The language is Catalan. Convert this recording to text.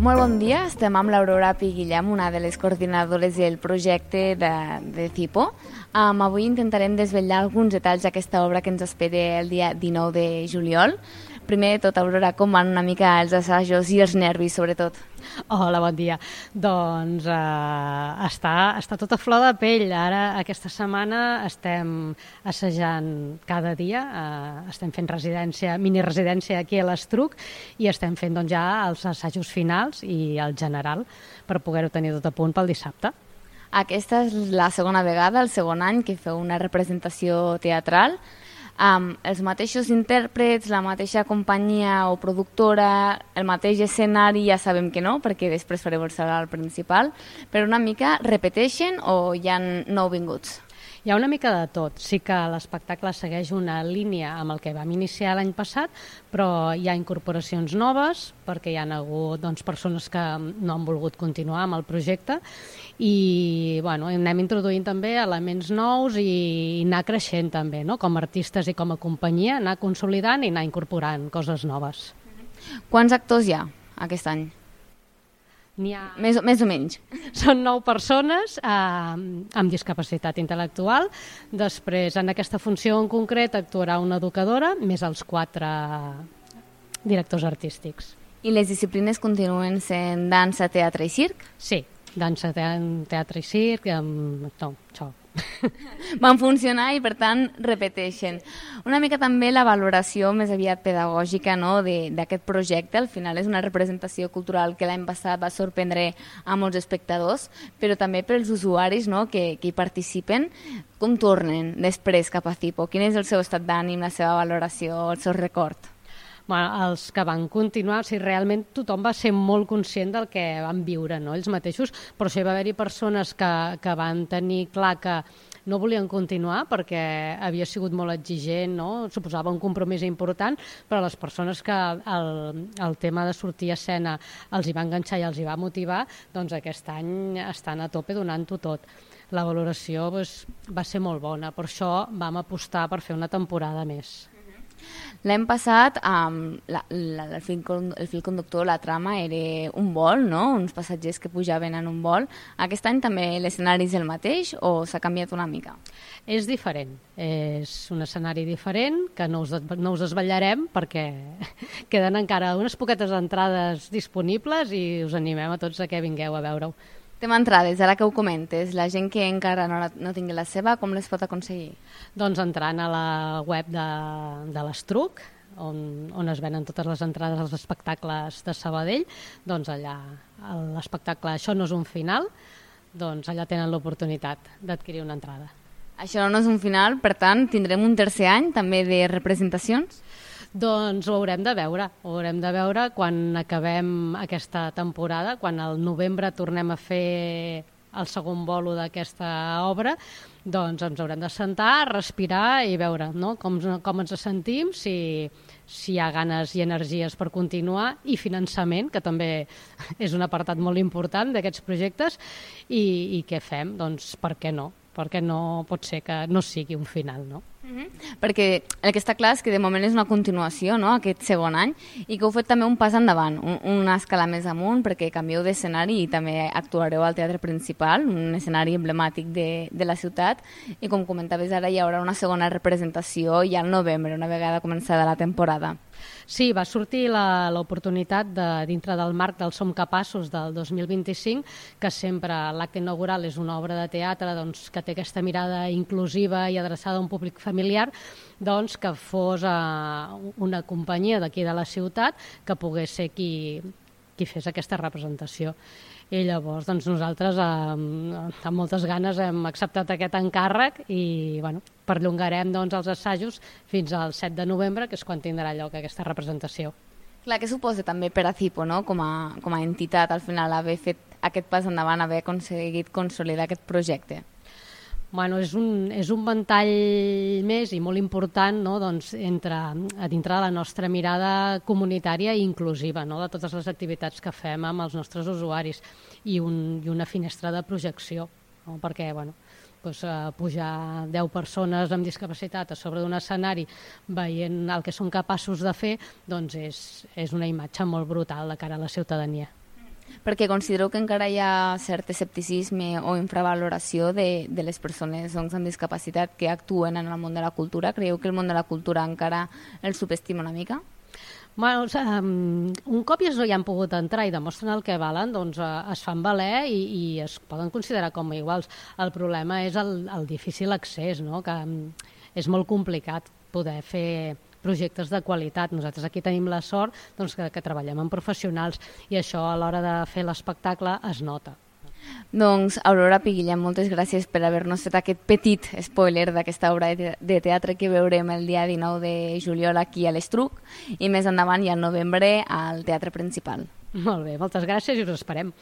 Molt bon dia, estem amb l'Aurora Piguillem, una de les coordinadores del projecte de CIPO. Avui intentarem desvetllar alguns detalls d'aquesta obra que ens espera el dia 19 de juliol. Primer de tot, Aurora, com van una mica els assajos i els nervis, sobretot? Hola, bon dia. Doncs està tot a flor de pell. Ara, aquesta setmana, estem assajant cada dia, estem fent mini-residència aquí a l'Estruc i estem fent doncs, ja els assajos finals i el general per poder-ho tenir tot a punt pel dissabte. Aquesta és la segona vegada, el segon any, que feu una representació teatral. Els mateixos intèrprets, la mateixa companyia o productora, el mateix escenari, ja sabem que no, perquè després fareu el salari principal, però una mica repeteixen o hi ha nouvinguts? Hi ha una mica de tot. Sí que l'espectacle segueix una línia amb el que vam iniciar l'any passat, però hi ha incorporacions noves, perquè hi ha hagut persones que no han volgut continuar amb el projecte i anem introduint també elements nous i anar creixent també, no? Com a artistes i com a companyia, anar consolidant i anar incorporant coses noves. Quants actors hi ha aquest any? N'hi ha... Més o menys. Són 9 persones amb discapacitat intel·lectual. Després, en aquesta funció en concret, actuarà una educadora, més els 4 directors artístics. I les disciplines continuen sent dansa, teatre i circ? Sí, dansa, teatre i circ, això. Van funcionar i, per tant, repeteixen. Una mica també la valoració més aviat pedagògica, no?, d'aquest projecte. Al final és una representació cultural que l'any passat va sorprendre a molts espectadors, però també pels usuaris, no?, que hi participen. Com tornen després cap a CIPO? Quin és el seu estat d'ànim, la seva valoració, el seu record? Els que van continuar, realment tothom va ser molt conscient del que van viure, no? Ells mateixos, però sí va haver-hi persones que van tenir clar que no volien continuar perquè havia sigut molt exigent, no? Suposava un compromís important, però les persones que el tema de sortir a escena els hi va enganxar i els hi va motivar, doncs aquest any estan a tope donant-ho tot. La valoració va ser molt bona, per això vam apostar per fer una temporada més. L'any passat el fil conductor, la trama, era un vol, no? Uns passatgers que pujaven en un vol. Aquest any també l'escenari és el mateix o s'ha canviat una mica? És diferent, és un escenari diferent que no us desvetllarem perquè queden encara unes poquetes entrades disponibles i us animem a tots a que vingueu a veure-ho. Tema entrades, ara que ho comentes, la gent que encara no tingui la seva, com les pot aconseguir? Doncs entrant a la web de l'Estruc, on es venen totes les entrades als espectacles de Sabadell, doncs allà l'espectacle Això no és un final, doncs allà tenen l'oportunitat d'adquirir una entrada. Això no és un final, per tant, tindrem un tercer any també de representacions? Doncs ho haurem de veure quan acabem aquesta temporada, quan al novembre tornem a fer el segon bolo d'aquesta obra, doncs ens haurem de sentar, respirar i veure, no?, com ens sentim, si hi ha ganes i energies per continuar i finançament, que també és un apartat molt important d'aquests projectes, i què fem? Doncs per què no? Perquè no pot ser que no sigui un final, no? Perquè el que està clar és que de moment és una continuació, no?, aquest segon any, i que heu fet també un pas endavant, una escala més amunt, perquè canvieu d'escenari i també actuareu al Teatre Principal, un escenari emblemàtic de la ciutat, i com comentaves ara hi haurà una segona representació ja al novembre, una vegada començada la temporada. Sí, va sortir l'oportunitat dintre del marc del Som Capaços del 2025, que sempre l'acte inaugural és una obra de teatre doncs, que té aquesta mirada inclusiva i adreçada a un públic familiar, doncs que fos una companyia d'aquí de la ciutat que pogués ser qui fes aquesta representació. I llavors doncs, nosaltres amb moltes ganes hem acceptat aquest encàrrec i perllongarem doncs, els assajos fins al 7 de novembre, que és quan tindrà lloc aquesta representació. Clar, què suposa també per a CIPO, no?, com a entitat, al final, haver fet aquest pas endavant, haver aconseguit consolidar aquest projecte? És un ventall més i molt important, no?, doncs, dintre de la nostra mirada comunitària i inclusiva, no?, de totes les activitats que fem amb els nostres usuaris i una finestra de projecció, no?, perquè pujar 10 persones amb discapacitat a sobre d'un escenari veient el que són capaços de fer, doncs és una imatge molt brutal de cara a la ciutadania. Perquè considero que encara hi ha cert escepticisme o infravaloració de les persones amb discapacitat que actuen en el món de la cultura. Creieu que el món de la cultura encara el subestima una mica? Bueno, un cop ells no hi han pogut entrar i demostren el que valen, doncs es fan valer i es poden considerar com a iguals. El problema és el difícil accés, no? Que és molt complicat poder fer projectes de qualitat. Nosaltres aquí tenim la sort doncs, que treballem amb professionals i això a l'hora de fer l'espectacle es nota. Doncs, Aurora Piguillem, moltes gràcies per haver-nos fet aquest petit spoiler d'aquesta obra de teatre que veurem el dia 19 de juliol aquí a l'Estruc i més endavant i al novembre al Teatre Principal. Molt bé, moltes gràcies i us esperem.